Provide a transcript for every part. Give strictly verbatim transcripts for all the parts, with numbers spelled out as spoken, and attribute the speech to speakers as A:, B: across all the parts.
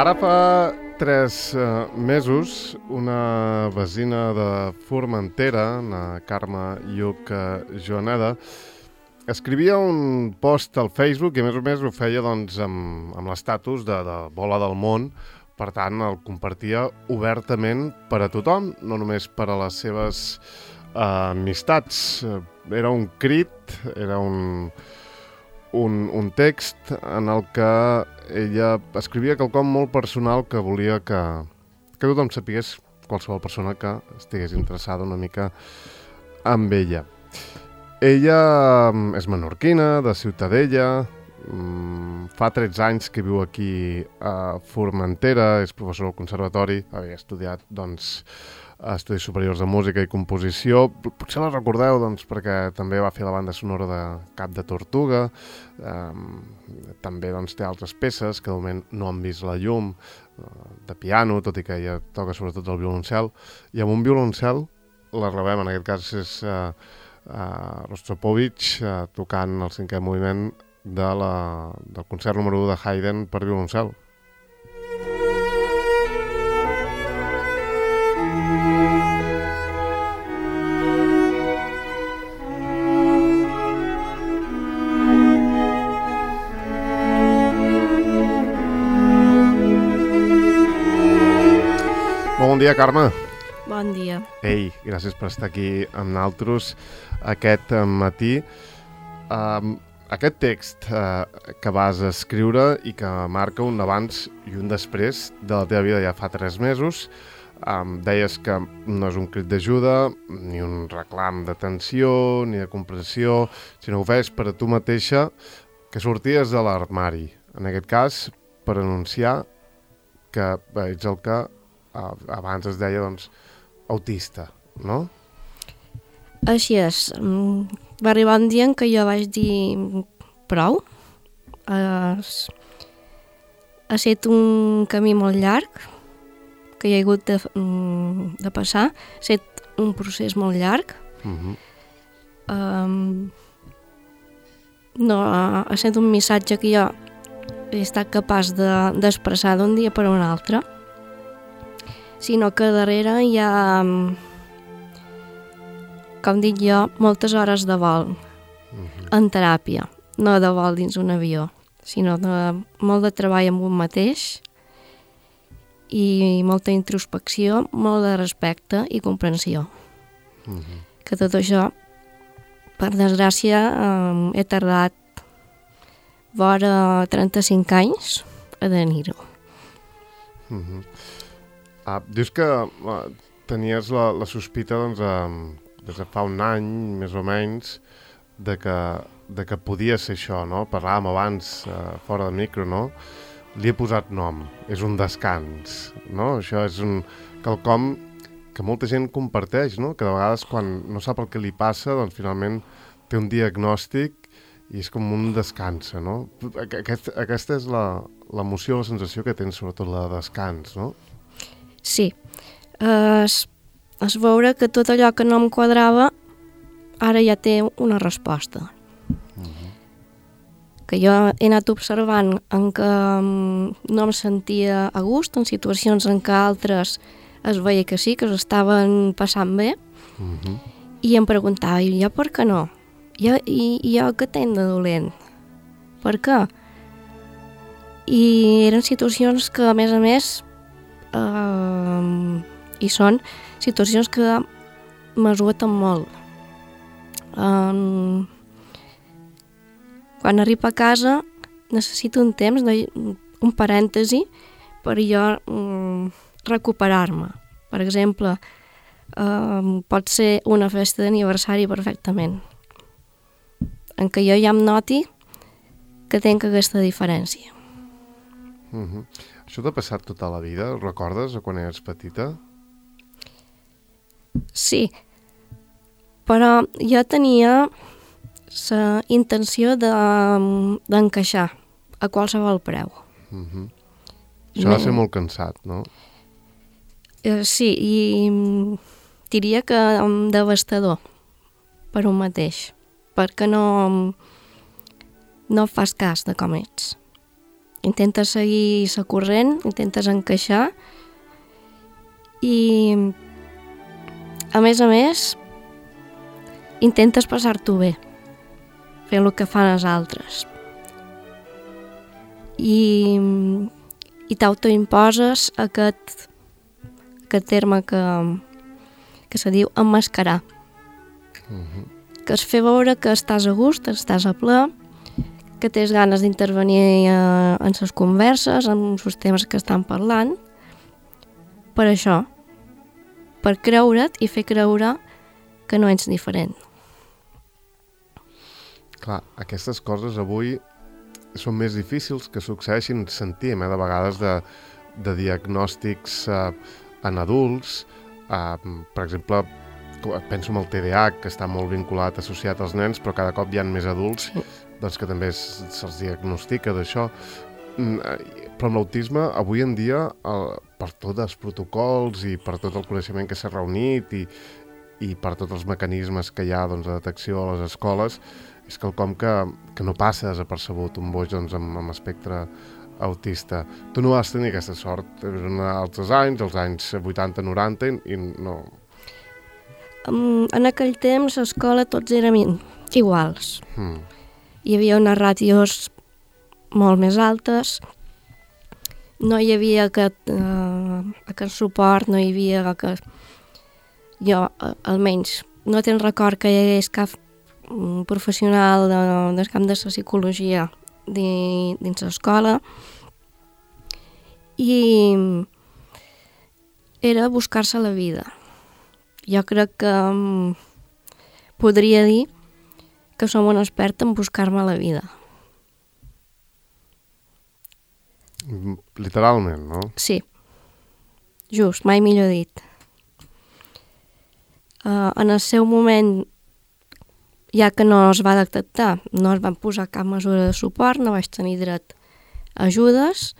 A: Ara fa tres uh, mesos, una vesina de Formentera, na Carme Lluc Joaneda, escrivia un post al Facebook i a més o més ho feia doncs, amb, amb l'estatus de, de Bola del Món. Per tant, el compartia obertament per a tothom, no només per a les seves uh, amistats. Era un crit, era un, un, un text en el que ella escrivia quelcom molt personal que volia que, que tothom sapigués, qualsevol persona que estigués interessada una mica amb ella. Ella és menorquina, de Ciutadella, fa tretze anys que viu aquí a Formentera, és professor al conservatori, havia estudiat doncs, estudis superiors de música i composició. Potser la recordeu doncs, perquè també va fer la banda sonora de Cap de Tortuga, eh, també doncs, té altres peces que de moment no han vist la llum, de piano, tot i que ella toca sobretot el violoncel, i amb un violoncel la rebem, en aquest cas és eh, Uh, Rostropovich uh, tocant el cinquè moviment de la, del concert número u de Haydn per violoncel. Bon dia, Carme.
B: Bon dia.
A: Ei, gràcies per estar aquí amb nosaltres aquest matí. Um, aquest text uh, que vas escriure i que marca un abans i un després de la teva vida ja fa tres mesos, um, deies que no és un crit d'ajuda, ni un reclam d'atenció, ni de comprensió, sinó que ho feies per a tu mateixa, que sorties de l'armari. En aquest cas, per anunciar que bé, ets el que uh, abans es deia, doncs, autista, no?
B: Així és. Va arribar un dia en què jo vaig dir prou. Ha estat un camí molt llarg que hi ha hagut de, de passar. Ha estat un procés molt llarg. Uh-huh. um, no, ha estat un missatge que jo he estat capaç de, d'expressar d'un dia per a un altre, sinó que darrere hi ha, com dic jo, moltes hores de vol uh-huh. en teràpia, no de vol dins un avió, sinó de molt de treball amb un mateix i molta introspecció, molt de respecte i comprensió. Uh-huh. Que tot això, per desgràcia, eh, he tardat vora trenta-cinc anys a tenir-ho.
A: Uh-huh. Ah, dius que uh, tenies la, la sospita doncs, uh, des de fa un any, més o menys, de que, de que podia ser això, no? Parlàvem abans, uh, fora de micro, no? Li he posat nom, és un descans, no? Això és un quelcom que molta gent comparteix, no? Que de vegades quan no sap el que li passa, doncs finalment té un diagnòstic i és com un descansa, no? Aquest, aquesta és la, l'emoció, la sensació que tens, sobretot la de descans, no?
B: Sí, es, es veure que tot allò que no em quadrava ara ja té una resposta. Uh-huh. Que jo he anat observant en què no em sentia a gust, en situacions en què altres es veia que sí, que s'estaven passant bé, uh-huh. i em preguntava, i jo per què no? Jo, i, i jo què tenc de dolent? Per què? I eren situacions que, a més a més, Uh, i són situacions que m'esgoten molt. Um, quan arribo a casa necessito un temps, de, un parèntesi, per jo um, recuperar-me. Per exemple, um, pot ser una festa d'aniversari perfectament, en què jo ja em noti que tenc aquesta diferència.
A: Uh-huh. Això t'ha passat tota la vida? Ho recordes quan eres petita?
B: Sí, però jo tenia la intenció de, d'encaixar a qualsevol preu.
A: Uh-huh. Això ha de ser molt cansat, no?
B: Eh, sí, i diria que devastador per un mateix, perquè no, no fas cas de com ets. intentes seguir la corrent, intentes encaixar i, a més a més, intentes passar-t'ho bé, fent el que fan els altres. I, i t'autoimposes aquest, aquest terme que, que se diu emmascarar,
A: Uh-huh.
B: que es fer veure que estàs a gust, estàs a ple, que tens ganes d'intervenir eh, en les converses, en els temes que estan parlant, per això, per creure't i fer creure que no ets diferent.
A: Clar, aquestes coses avui són més difícils que succeeixin, sentim, eh, de vegades de, de diagnòstics eh, en adults, eh, per exemple, penso en el T D A H, que està molt vinculat, associat als nens, però cada cop hi ha més adults sí. doncs que també se'ls diagnostica d'això. Però amb l'autisme, avui en dia, el, per tots els protocols i per tot el coneixement que s'ha reunit i, i per tots els mecanismes que hi ha doncs, de detecció a les escoles, és quelcom que, que no passa desapercebut, un boig doncs, amb, amb espectre autista. Tu no vas tenir aquesta sort, eren altres anys, els anys vuitanta noranta, i no...
B: En aquell temps, a l'escola tots érem iguals.
A: Mm.
B: Hi havia unes ràtios molt més altes, no hi havia aquest, uh, aquest suport, no hi havia aquest... Jo, almenys, no tenc record que hi hagués cap professional de, del camp de la psicologia di, dins l'escola, i era buscar-se la vida. Jo crec que um, podria dir que som un expert en buscar-me la vida.
A: Literalment, no?
B: Sí, just, mai millor dit. Uh, en el seu moment, ja que no es va detectar, no es van posar cap mesura de suport, no vaig tenir dret a ajudes,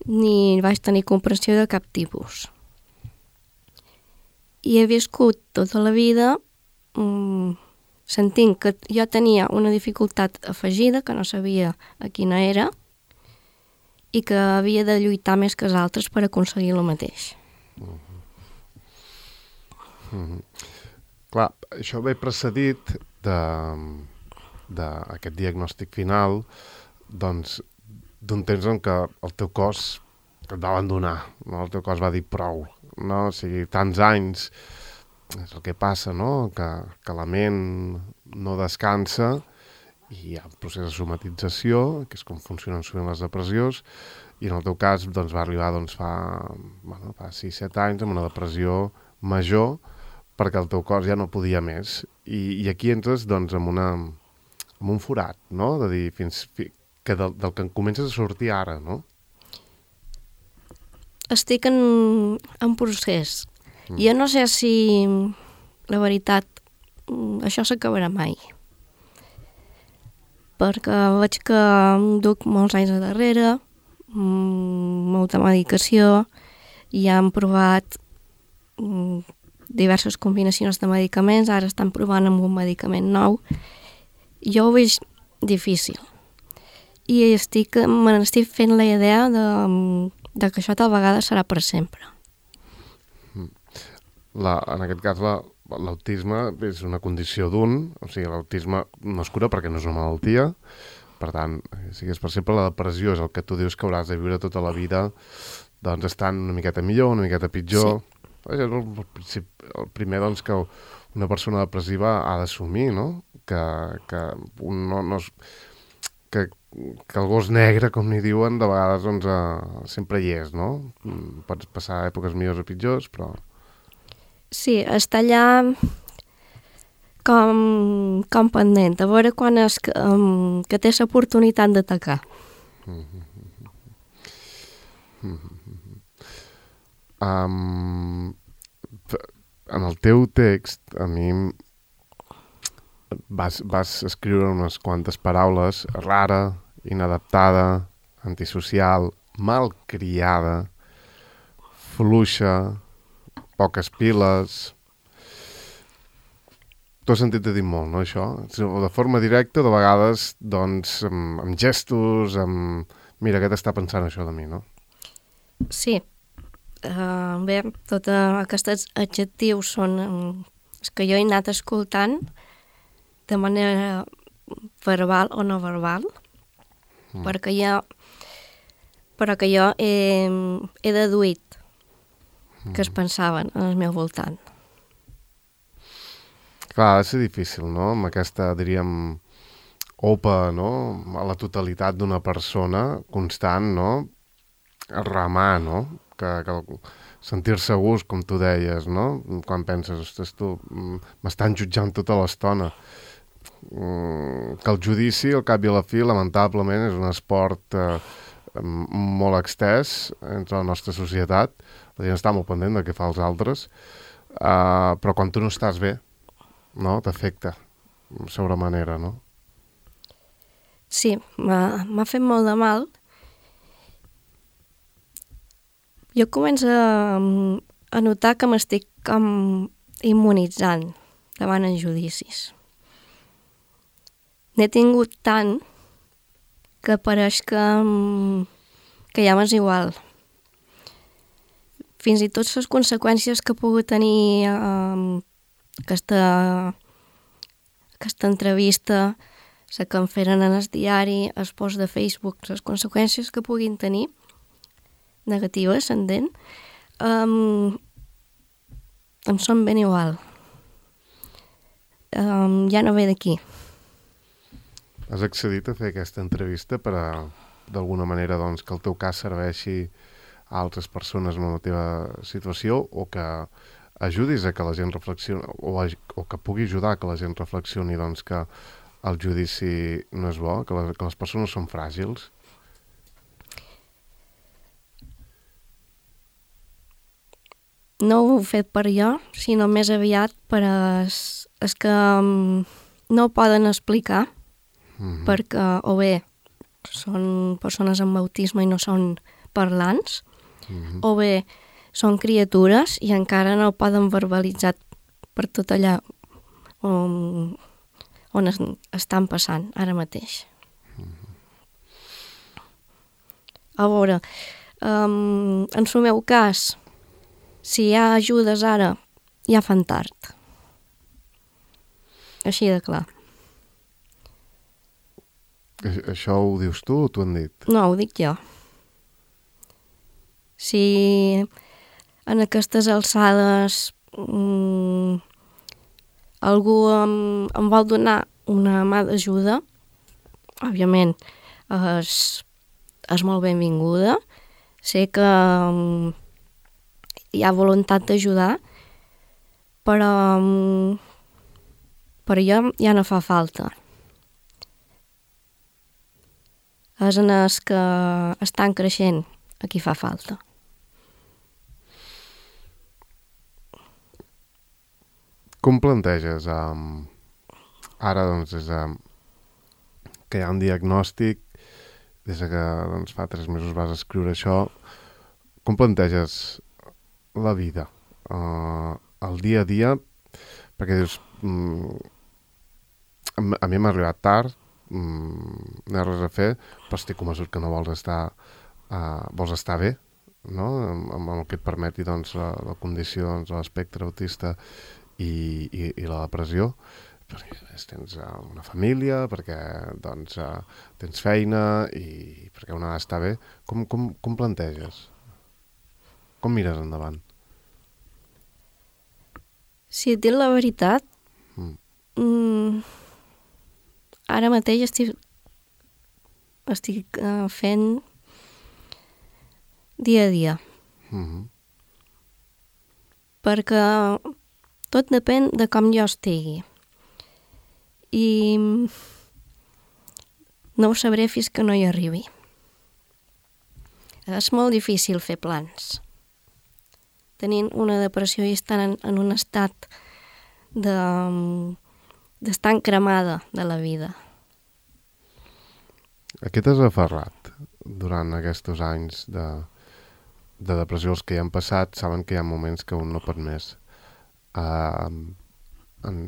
B: ni vaig tenir comprensió de cap tipus. I he viscut tota la vida um, sentint que jo tenia una dificultat afegida, que no sabia a quina era, i que havia de lluitar més que els altres per aconseguir el mateix.
A: Uh-huh. Uh-huh. Clar, això ve precedit d'aquest diagnòstic final, doncs, d'un temps en què el teu cos et va abandonar, no? El teu cos va dir prou, no? O sigui, tants anys, és el que passa, no? Que, que la ment no descansa i hi ha un procés de somatització, que és com funcionen sovint les depressions, i en el teu cas doncs, va arribar doncs, fa, bueno, fa sis set anys amb una depressió major, perquè el teu cos ja no podia més. I, i aquí entres doncs, amb, una, amb un forat, no? De dir, fins, que del, del que comences a sortir ara, no?
B: Estic en, en procés. Mm. Jo no sé si, la veritat, això s'acabarà mai. Perquè veig que em duc molts anys a darrere, molta medicació, i han provat diverses combinacions de medicaments, ara estan provant amb un medicament nou. Jo ho veig difícil. I estic, me n'estic fent la idea de, de que això tal vegada serà per sempre.
A: La, en aquest cas, la, l'autisme és una condició d'un, o sigui, l'autisme no es cura perquè no és una malaltia, per tant, si és per sempre la depressió és el que tu dius que hauràs de viure tota la vida, doncs estan una miqueta millor, una miqueta pitjor. Sí. És el, el, el primer doncs, que una persona depressiva ha d'assumir, no? Que, que, un, no, no és, que, que el gos negre, com n'hi diuen, de vegades doncs, uh, sempre hi és, no? Pots passar èpoques millors o pitjors, però...
B: Sí, està allà com, com pendent, a veure quan és que, um, que té l'oportunitat d'atacar.
A: Mm-hmm. Mm-hmm. Um, en el teu text, a mi vas, vas escriure unes quantes paraules: rara, inadaptada, antisocial, malcriada, fluixa, poques piles... T'ho has sentit a dir molt, no, això? De forma directa, de vegades, doncs, amb, amb gestos, amb mira, aquest està pensant això de mi, no?
B: Sí. Uh, bé, tots aquests adjectius són um, els que jo he anat escoltant de manera verbal o no verbal, mm. perquè jo, però que jo he, he deduït mm. que es pensaven al meu voltant.
A: Clar, ha de ser difícil, no?, amb aquesta, diríem, opa, no?, a la totalitat d'una persona constant, no?, remar, no?, que, que sentir-se a gust, com tu deies, no?, quan penses, ostres, tu, m'estan jutjant tota l'estona. Que el judici, al cap i a la fi, lamentablement, és un esport eh, molt extès entre la nostra societat. La gent està molt pendent de què fa els altres, eh, però quan tu no estàs bé, no?, t'afecta sobre manera, no?
B: Sí, m'ha fet molt de mal. Jo començo a, a notar que m'estic com immunitzant davant els judicis. N'he tingut tant que pareix que, que ja m'és igual. Fins i tot les conseqüències que ha pogut tenir eh, aquesta, aquesta entrevista, la que em feren en el diari, el post de Facebook, les conseqüències que puguin tenir, negatives, s'entén, um, em són ben igual. Um, ja no ve d'aquí.
A: Has accedit a fer aquesta entrevista per a, d'alguna manera, doncs, que el teu cas serveixi a altres persones en la teva situació, o que ajudis a que la gent reflexioni, o, a, o que pugui ajudar a que la gent reflexioni, doncs, que el judici no és bo, que les, que les persones són fràgils?
B: No ho he fet per jo, sinó més aviat per als, als que um, no ho poden explicar, mm-hmm. perquè o bé són persones amb autisme i no són parlants, mm-hmm. o bé són criatures i encara no ho poden verbalitzar per tot allà on, on es, estan passant ara mateix. Mm-hmm. A veure, um, en el meu cas, si hi ha ajudes ara, ja fan tard. Així de clar.
A: Això ho dius tu o t'ho han dit?
B: No, ho dic jo. Si en aquestes alçades mmm, algú em, em vol donar una mà d'ajuda, òbviament és, és molt benvinguda. Sé que um, hi ha voluntat d'ajudar, però, um, però ja, ja no fa falta. És en els que estan creixent a qui fa falta.
A: Com planteges? Um, ara, doncs, des de que hi ha un diagnòstic, des de que doncs, fa tres mesos vas escriure això, com planteges la vida, uh, el dia a dia? Perquè dius, um, a mi m'ha arribat tard, um, no hi ha res a fer, però estic convençut que no vols estar, uh, vols estar bé, no? Amb, amb el que et permeti doncs, la, la condició, doncs, l'espectre autista i, i, i la depressió, perquè tens uh, una família, perquè doncs, uh, tens feina i perquè una ha d'estar bé. Com, com, com planteges? Com mires endavant?
B: Si et dic la veritat, mm. Mm, ara mateix estic, estic uh, fent dia a dia. Mm-hmm. Perquè tot depèn de com jo estigui. I no ho sabré fins que no hi arribi. És molt difícil fer plans. Tenint una depressió i estant en, en un estat de, d'estar cremada de la vida.
A: A què t'has aferrat durant aquests anys de, de depressió? Els que hi han passat saben que hi ha moments que un no pot més. Uh, en,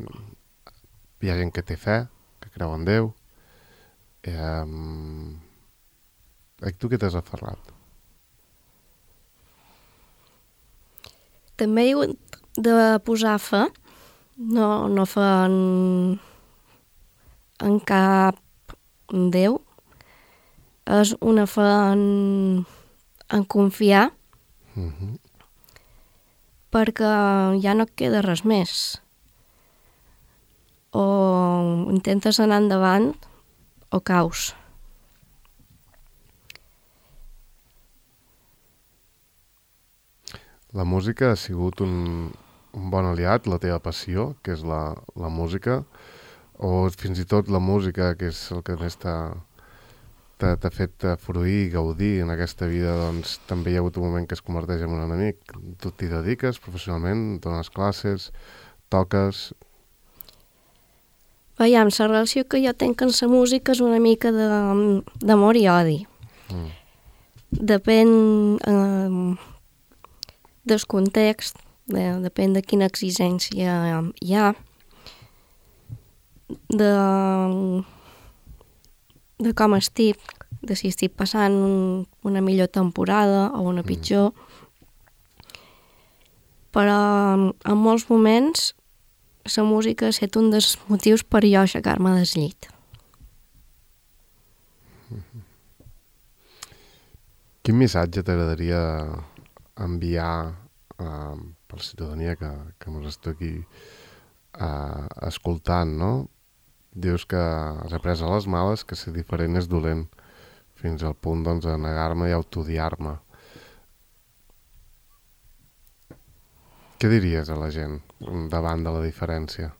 A: hi ha gent que té fe, que creu en Déu. Um, A tu què t'has aferrat?
B: També hi de posar fe, no, no fe en, en cap Déu, és una fe en, en confiar,
A: Uh-huh.
B: perquè ja no et queda res més. O intentes anar endavant o caus.
A: La música ha sigut un, un bon aliat, la teva passió, que és la, la música, o fins i tot la música, que és el que més t'ha t'ha fet fruir i gaudir en aquesta vida, doncs també hi ha hagut un moment que es converteix en un enemic. Tu t'hi dediques professionalment, dones classes, toques...
B: Veiem, la relació que jo tinc amb la música és una mica d'amor i odi. Mm. Depèn eh, del context, de, depèn de quina exigència hi ha, de, de com estic, de si estic passant una millor temporada o una pitjor. Mm. Però en molts moments la música ha estat un dels motius per jo aixecar-me del llit.
A: Mm-hmm. Quin missatge t'agradaria enviar uh, per la ciutadania que, que ens està aquí uh, escoltant, no? Dius que has après a les males que ser diferent és dolent, fins al punt doncs, de negar-me i autodiar-me. Què diries a la gent davant de la diferència?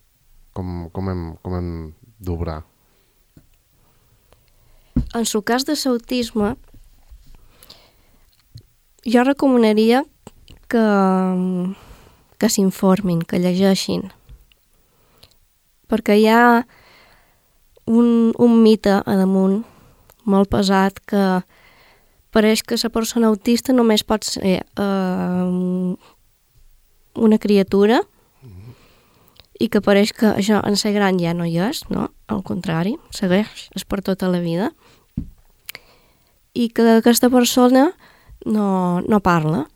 A: Com, com hem, com hem d'obrar?
B: En el cas de l'autisme, jo recomanaria que, que s'informin, que llegeixin. Perquè hi ha un, un mite a damunt molt pesat que pareix que la persona autista només pot ser eh, una criatura i que pareix que això en ser gran ja no hi és, no? Al contrari, segueix, és per tota la vida. I que aquesta persona no, no parla,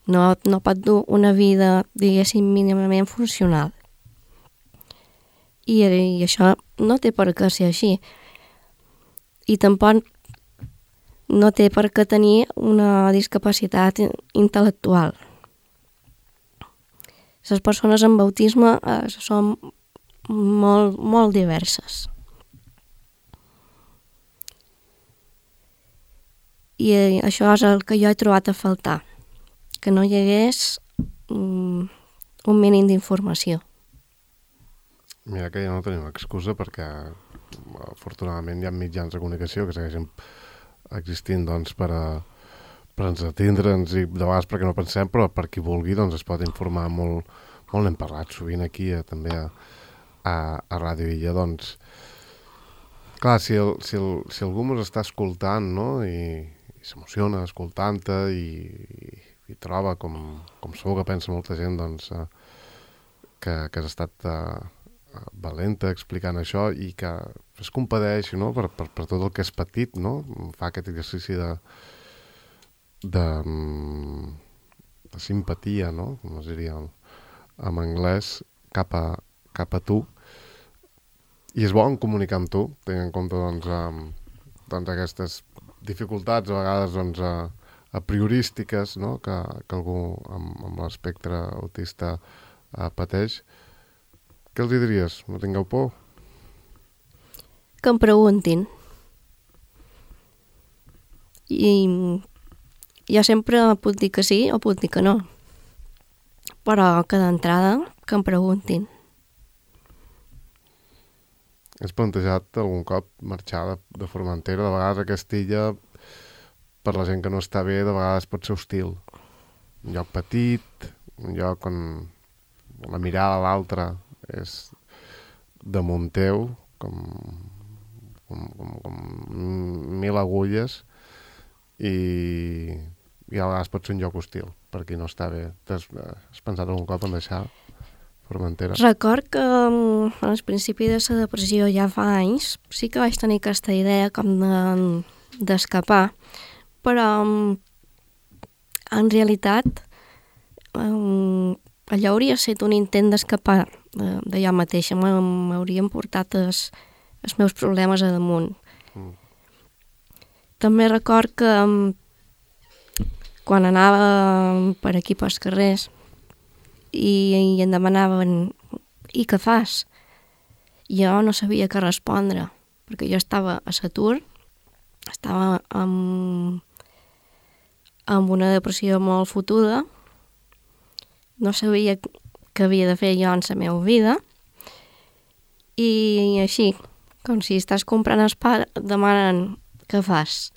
B: no, no pot dur una vida, diguéssim, mínimament funcional. I, i això no té per què ser així. I tampoc no té per què tenir una discapacitat intel·lectual. Les persones amb autisme eh, són molt, molt diverses. I eh, això és el que jo he trobat a faltar, que no hi hagués um, un mínim d'informació.
A: Mira que ja no tenim excusa perquè afortunadament hi ha mitjans de comunicació que segueixen existint doncs, per, a, per entretindre'ns i de vegades perquè no pensem, però per qui vulgui doncs, es pot informar molt, molt n'hem parlat sovint aquí a, també a, a, a Ràdio Illa. Doncs, clar, si, el, si, el, si algú ens està escoltant, no? I, i s'emociona escoltant-te i, i, i troba, com, com segur que pensa molta gent, doncs, eh, que, que has estat eh, valenta explicant això i que es compadeix, no? per, per, per tot el que és petit, no? Fa aquest exercici de, de, de simpatia, no? Com es diria en anglès, cap a, cap a tu. I és bo comunicar amb tu, tenint en compte doncs, um, doncs aquestes dificultats a vegades doncs, a, a priorístiques, no? que, que algú amb, amb l'espectre autista uh, pateix. Què els diries? No tingueu por?
B: Que em preguntin. I jo sempre puc dir que sí o puc dir que no. Però que d'entrada que em preguntin.
A: Has plantejat algun cop marxar de, de Formentera? De vegades a Castilla, per la gent que no està bé, de vegades pot ser hostil. Un lloc petit, un lloc on la mirada a l'altre és damunt teu, com, com, com, com mil agulles, i, i a vegades pot ser un lloc hostil per qui no està bé. Has, has pensat algun cop en deixar Formentera?
B: Record que al principi de la depressió ja fa anys sí que vaig tenir aquesta idea com de, d'escapar, però en realitat um, allò hauria estat un intent d'escapar de, de jo mateixa, m'haurien portat els, els meus problemes a damunt. Mm. També record que um, quan anava per aquí pels carrers i, i em demanaven i què fas? Jo no sabia què respondre, perquè jo estava a l'atur, estava amb, amb una depressió molt fotuda, no sabia què havia de fer jo en la meva vida, i així, com si estàs comprant el pa, demanen què fas.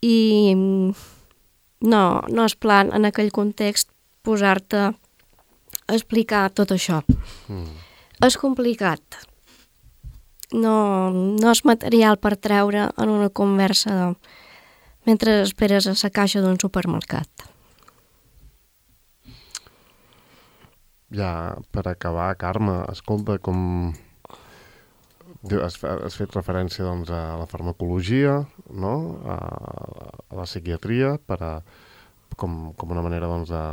B: I no, no és plan en aquell context posar-te a explicar tot això. Mm. És complicat. No, no és material per treure en una conversa de, mentre esperes a la caixa d'un supermercat.
A: Ja, per acabar, Carme, escolta, com has, has fet referència doncs, a la farmacologia, no? a, a la psiquiatria, per a, com, com una manera doncs, de,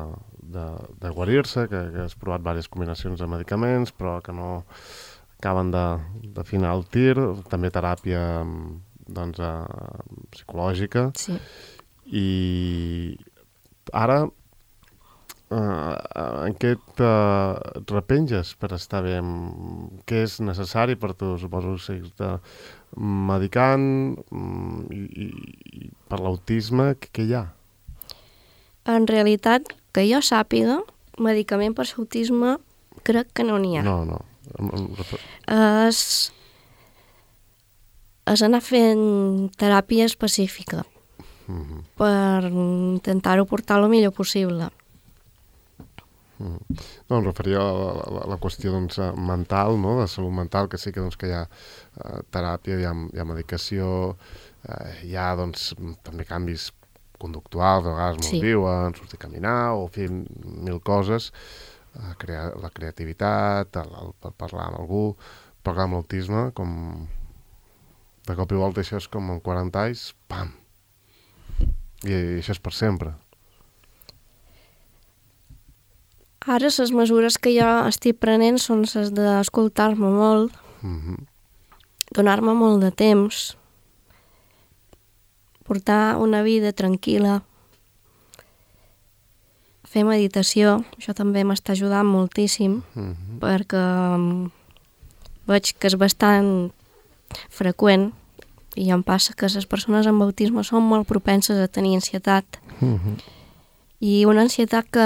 A: de, de guarir-se, que, que has provat diverses combinacions de medicaments, però que no acaben de, de finar el tir, també teràpia doncs, uh, psicològica.
B: Sí.
A: I ara, uh, en què et uh, repenges per estar bé? Què és necessari per tu? Suposo que seguir medicant i, i, i per l'autisme, què, què hi ha?
B: En realitat, que jo sàpiga, medicament per l'autisme crec que no n'hi ha.
A: No, no.
B: És, és anar fent teràpia específica mm-hmm. per intentar-ho portar el millor possible.
A: Mm. No, em referia a la, la, la qüestió doncs, mental, no? De salut mental, que sí que, doncs, que hi ha uh, teràpia, hi ha, hi ha medicació, uh, hi ha doncs, també canvis conductuals, a vegades molt sí. diuen, sortir a caminar o fer mil coses, uh, crear la creativitat, el, el, el parlar amb algú, parlar amb l'autisme, com de cop i volta això és com en quaranta anys, pam! I, i això és per sempre.
B: Ara les mesures que jo estic prenent són les d'escoltar-me molt, mm-hmm. donar-me molt de temps, portar una vida tranquil·la, fer meditació, això també m'està ajudant moltíssim, mm-hmm. perquè veig que és bastant freqüent i em passa que les persones amb autisme són molt propenses a tenir ansietat. Mm-hmm. I una ansietat que,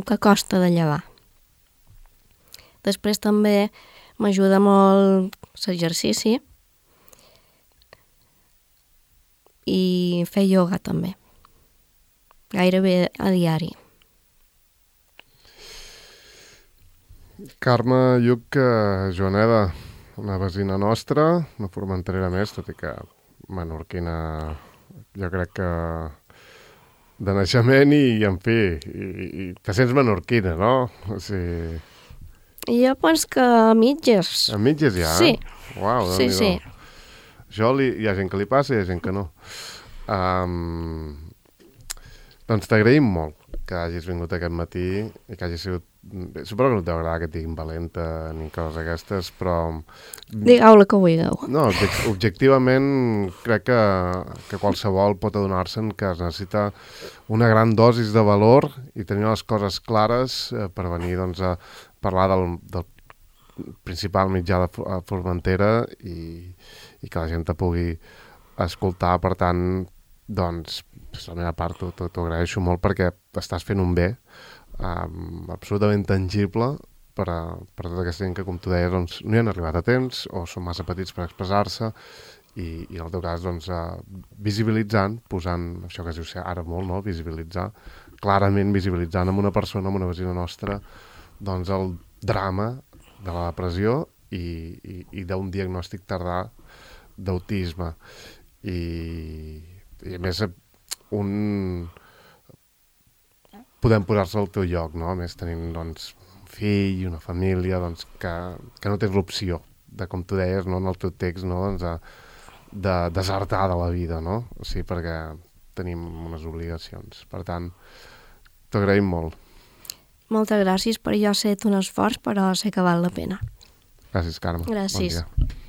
B: que costa de llevar. Després també m'ajuda molt l'exercici i fer ioga també, gairebé a diari.
A: Carme Lluch Joaneda, una vecina nostra, una formenterera més, tot i que menorquina, jo crec que de naixement i, en fi, i, i te sents menorquina, no? O sigui...
B: Jo penso que a mitges.
A: A mitges ja?
B: Sí.
A: Uau,
B: sí, sí.
A: Això li, hi ha gent que li passa i hi ha gent que no. Um, doncs t'agraïm molt que hagis vingut aquest matí i que hagis sigut... Bé, suposo que no t'agrada que et diguin valenta ni coses d'aquestes, però...
B: Digueu la que vulgueu.
A: No, objectivament crec que, que qualsevol pot adonar-se'n que es necessita una gran dosis de valor i tenir les coses clares eh, per venir doncs, a parlar del, del principal mitjà de Formentera i, i que la gent te pugui escoltar. Per tant, doncs, per la meva part t'ho agraeixo molt perquè estàs fent un bé um, absolutament tangible per a, per a tota aquesta gent que, com tu deies, doncs, no hi han arribat a temps o són massa petits per expressar-se i, i en el teu cas, doncs, uh, visibilitzant, posant, això que es diu ara molt, no?, visibilitzar, clarament visibilitzant amb una persona, amb una vecina nostra, doncs el drama de la depressió i, i, i d'un diagnòstic tardà d'autisme. I, i a més, un... podem posar-se al teu lloc, no? A més, tenint, doncs, un fill, una família, doncs, que, que no tens l'opció de, com tu deies, no?, en el teu text, no?, doncs, a, de desertar de la vida, no? O sigui, perquè tenim unes obligacions. Per tant, t'agraïm molt.
B: Moltes gràcies, per jo ha estat un esforç, però sé que val la pena.
A: Gràcies, Carme.
B: Gràcies.
A: Bon dia.